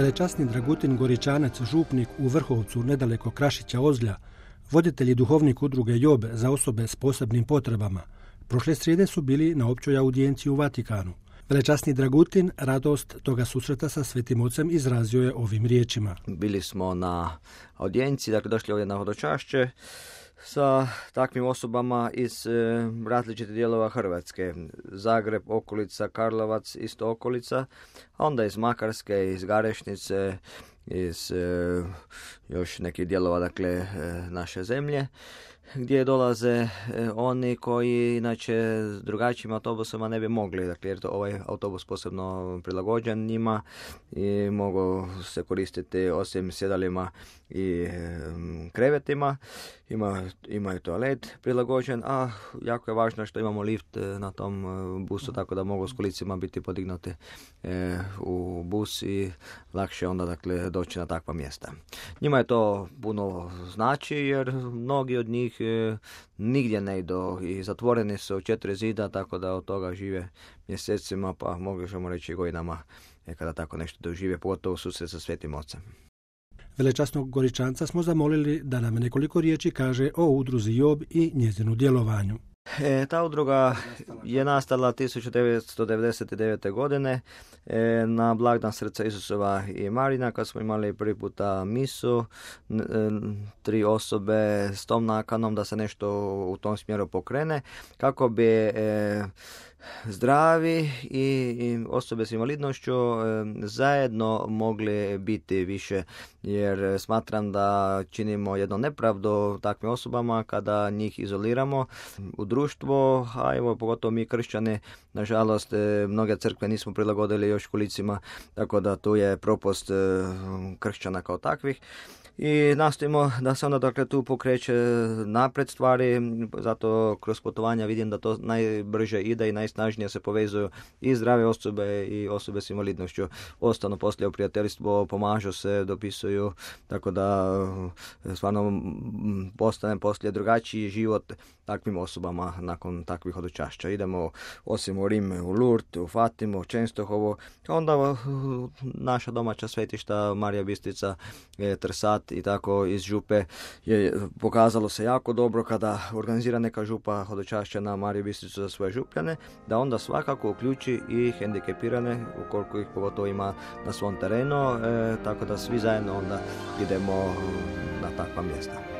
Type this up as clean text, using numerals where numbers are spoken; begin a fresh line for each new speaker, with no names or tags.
Velečasni Dragutin Goričanac, župnik u Vrhovcu nedaleko Krašića Ozlja, voditelj i duhovnik udruge Job za osobe s posebnim potrebama, prošle srijede su bili na općoj audijenciji u Vatikanu. Velečasni Dragutin radost toga susreta sa Svetim Ocem izrazio je ovim riječima.
Bili smo na audijenciji, dakle došli ovdje na hodočašće sa takvim osobama iz različitih dijelova Hrvatske. Zagreb, okolica, Karlovac, isto okolica, a onda iz Makarske, iz Garešnice, iz još nekih dijelova dakle naše zemlje, gdje dolaze oni koji inače s drugačijim autobusima ne bi mogli, dakle, jer to ovaj autobus posebno prilagođen njima i mogu se koristiti osim sjedalima i krevetima. Imaju toalet prilagođen, a jako je važno što imamo lift na tom busu, tako da mogu s kolicima biti podignuti u bus i lakše onda dakle doći na takva mjesta. Njima je to puno znači jer mnogi od njih nigdje ne idu i zatvoreni su u 4 zida, tako da od toga žive mjesecima, pa možemo reći godinama kada tako nešto dožive, pogotovo susret sa Svetim Ocem.
Velečasnog Goričanca smo zamolili da nam nekoliko riječi kaže o udruzi Job i njezinu djelovanju.
Ta udruga je nastala 1999. godine na blagdan Srca Isusova i Marina, kad smo imali prvi puta misu, 3 osobe s tom nakanom da se nešto u tom smjeru pokrene, kako bi zdravi i osobe s invalidnošću zajedno mogli biti više, jer smatram da činimo jednu nepravdu takvim osobama kada njih izoliramo u društvo, a evo pogotovo mi kršćani, nažalost mnoge crkve nismo prilagodili još kolicima, tako da tu je propust kršćana kao takvih. I nastojimo da se onda dakle tu pokreće napred stvari, zato kroz putovanja vidim da to najbrže ide i najsnažnije se povezuju i zdrave osobe i osobe s invalidnošću. Ostanu poslije u prijateljstvo, pomažu se, dopisuju, tako da stvarno postane poslije drugačiji život takvim osobama nakon takvih hodočašća. Idemo osim u Rim, u Lourdes, u Fatimu, u Čenstohovu, onda naša domaća svetišta Marija Bistrica, Trsat i tako iz župe je pokazalo se jako dobro kada organizira neka župa hodočašća na Mariju Bistricu za svoje župljane, da onda svakako uključi i hendikepirane, ukoliko ih pogotovo ima na svom terenu, tako da svi zajedno onda idemo na takva mjesta.